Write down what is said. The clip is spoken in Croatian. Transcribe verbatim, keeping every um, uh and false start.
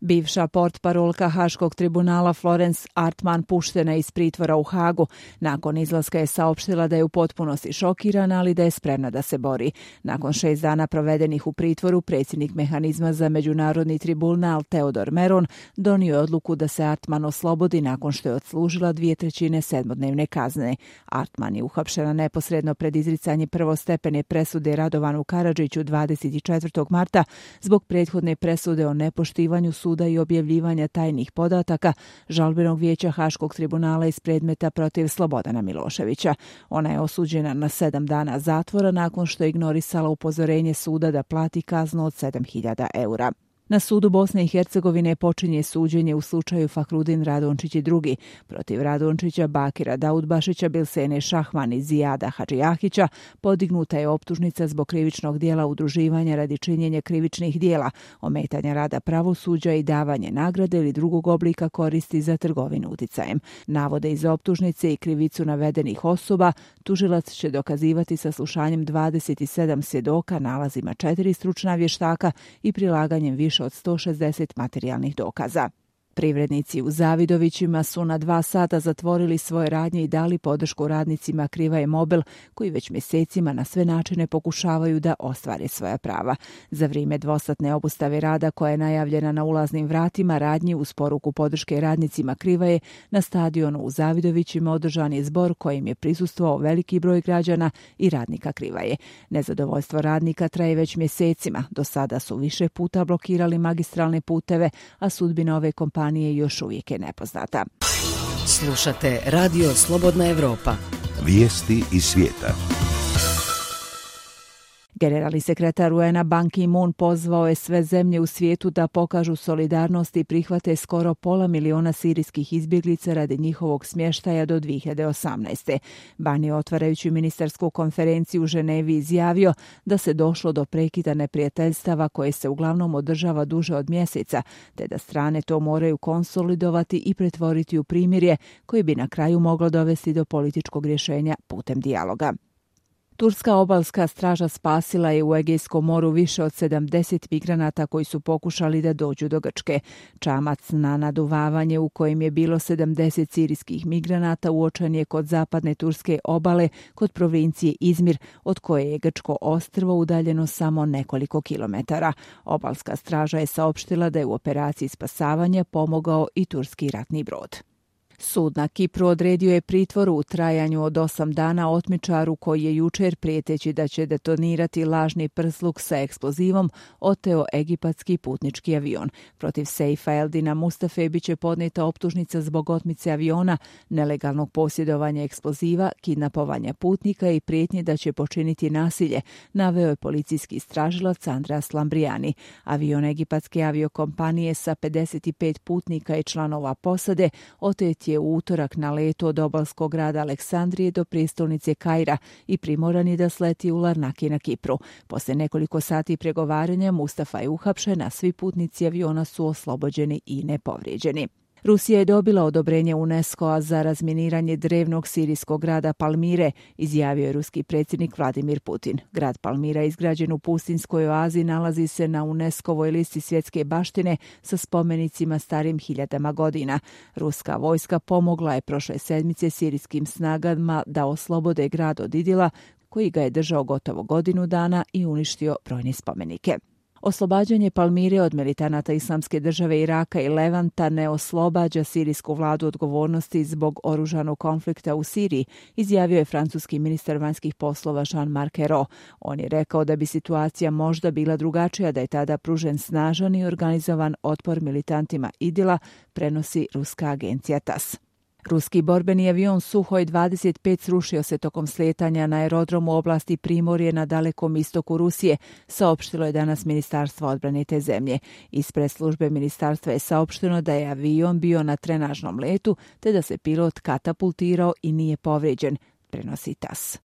Bivša portparolka Haškog tribunala Florence Artman puštena iz pritvora u Hagu. Nakon izlaska je saopštila da je u potpunosti šokirana, ali da je spremna da se bori. Nakon šest dana provedenih u pritvoru, predsjednik mehanizma za međunarodni tribunal Teodor Meron donio je odluku da se Artman oslobodi nakon što je odslužila dvije trećine sedmodnevne kazne. Artman je uhapšena neposredno pred izricanje prvostepene presude Radovanu Karadžiću dvadeset četvrtog marta zbog prethodne presude o nepoštivanju suda i objavljivanja tajnih podataka žalbenog vijeća Haškog tribunala iz predmeta protiv Slobodana Miloševića. Ona je osuđena na sedam dana zatvora nakon što je ignorisala upozorenje suda da plati kaznu od sedam hiljada eura. Na sudu Bosne i Hercegovine počinje suđenje u slučaju Fahrudin Radončić i drugi. Protiv Radončića, Bakira Daudbašića, Bilsene Šahman i Zijada Hadžijahića podignuta je optužnica zbog krivičnog dijela udruživanja radi činjenja krivičnih dijela, ometanja rada pravosuđa i davanje nagrade ili drugog oblika koristi za trgovinu uticajem. Navode iz optužnice i krivicu navedenih osoba tužilac će dokazivati saslušanjem dvadeset sedam svjedoka, nalazima četiri stručna vještaka i prilaganjem više od sto šezdeset materijalnih dokaza. Privrednici u Zavidovićima su na dva sata zatvorili svoje radnje i dali podršku radnicima Krivaje Mobil, koji već mjesecima na sve načine pokušavaju da ostvare svoja prava. Za vrijeme dvosatne obustave rada koja je najavljena na ulaznim vratima radnji uz poruku podrške radnicima Krivaje, na stadionu u Zavidovićima održan je zbor kojim je prisustvovao veliki broj građana i radnika Krivaje. Nezadovoljstvo radnika traje već mjesecima. Do sada su više puta blokirali magistralne puteve, a sudbina ove kompanije još uvijek je nepoznata. Slušate Radio Slobodna Evropa. Vijesti iz svijeta. Generalni sekretar U N-a Ban Ki-moon pozvao je sve zemlje u svijetu da pokažu solidarnost i prihvate skoro pola miliona sirijskih izbjeglica radi njihovog smještaja do dvije hiljade osamnaeste. Ban je otvarajući ministarsku konferenciju u Ženevi izjavio da se došlo do prekida neprijateljstava koje se uglavnom održava duže od mjeseca, te da strane to moraju konsolidovati i pretvoriti u primirje koji bi na kraju moglo dovesti do političkog rješenja putem dijaloga. Turska obalska straža spasila je u Egejskom moru više od sedamdeset migranata koji su pokušali da dođu do Grčke. Čamac na naduvavanje u kojem je bilo sedamdeset sirijskih migranata uočen je kod zapadne turske obale, kod provincije Izmir, od koje je grčko ostrvo udaljeno samo nekoliko kilometara. Obalska straža je saopštila da je u operaciji spasavanja pomogao i turski ratni brod. Sud na Kipru odredio je pritvor u trajanju od osam dana otmičaru koji je jučer, prijeteći da će detonirati lažni prsluk sa eksplozivom, oteo egipatski putnički avion. Protiv Seifa Eldina Mustafe bit će podnijeta optužnica zbog otmice aviona, nelegalnog posjedovanja eksploziva, kidnapovanja putnika i prijetnje da će počiniti nasilje, naveo je policijski istražilac Andreas Lambrijani. Avion egipatske aviokompanije sa pedeset pet putnika i članova posade otet je u utorak na letu od obalskog grada Aleksandrije do prijestolnice Kaira i primoran je da sleti u Larnaki na Kipru. Poslije nekoliko sati pregovaranja Mustafa je uhapšen, a svi putnici aviona su oslobođeni i nepovrijeđeni. Rusija je dobila odobrenje UNESCO-a za razminiranje drevnog sirijskog grada Palmire, izjavio je ruski predsjednik Vladimir Putin. Grad Palmira, izgrađen u pustinskoj oazi, nalazi se na UNESCO-voj listi svjetske baštine sa spomenicima starim hiljadama godina. Ruska vojska pomogla je prošle sedmice sirijskim snagama da oslobode grad od Idila, koji ga je držao gotovo godinu dana i uništio brojne spomenike. Oslobađanje Palmire od militanata Islamske države Iraka i Levanta ne oslobađa sirijsku vladu odgovornosti zbog oružanog konflikta u Siriji, izjavio je francuski ministar vanjskih poslova Jean-Marc Ayrault. On je rekao da bi situacija možda bila drugačija da je tada pružen snažan i organizovan otpor militantima Idila, prenosi ruska agencija T A S. Ruski borbeni avion Suhoj dvadeset pet srušio se tokom slijetanja na aerodromu oblasti Primorje na dalekom istoku Rusije, saopštilo je danas Ministarstvo odbrane te zemlje. Ispred službe ministarstva je saopšteno da je avion bio na trenažnom letu, te da se pilot katapultirao i nije povrijeđen, prenosi T A S.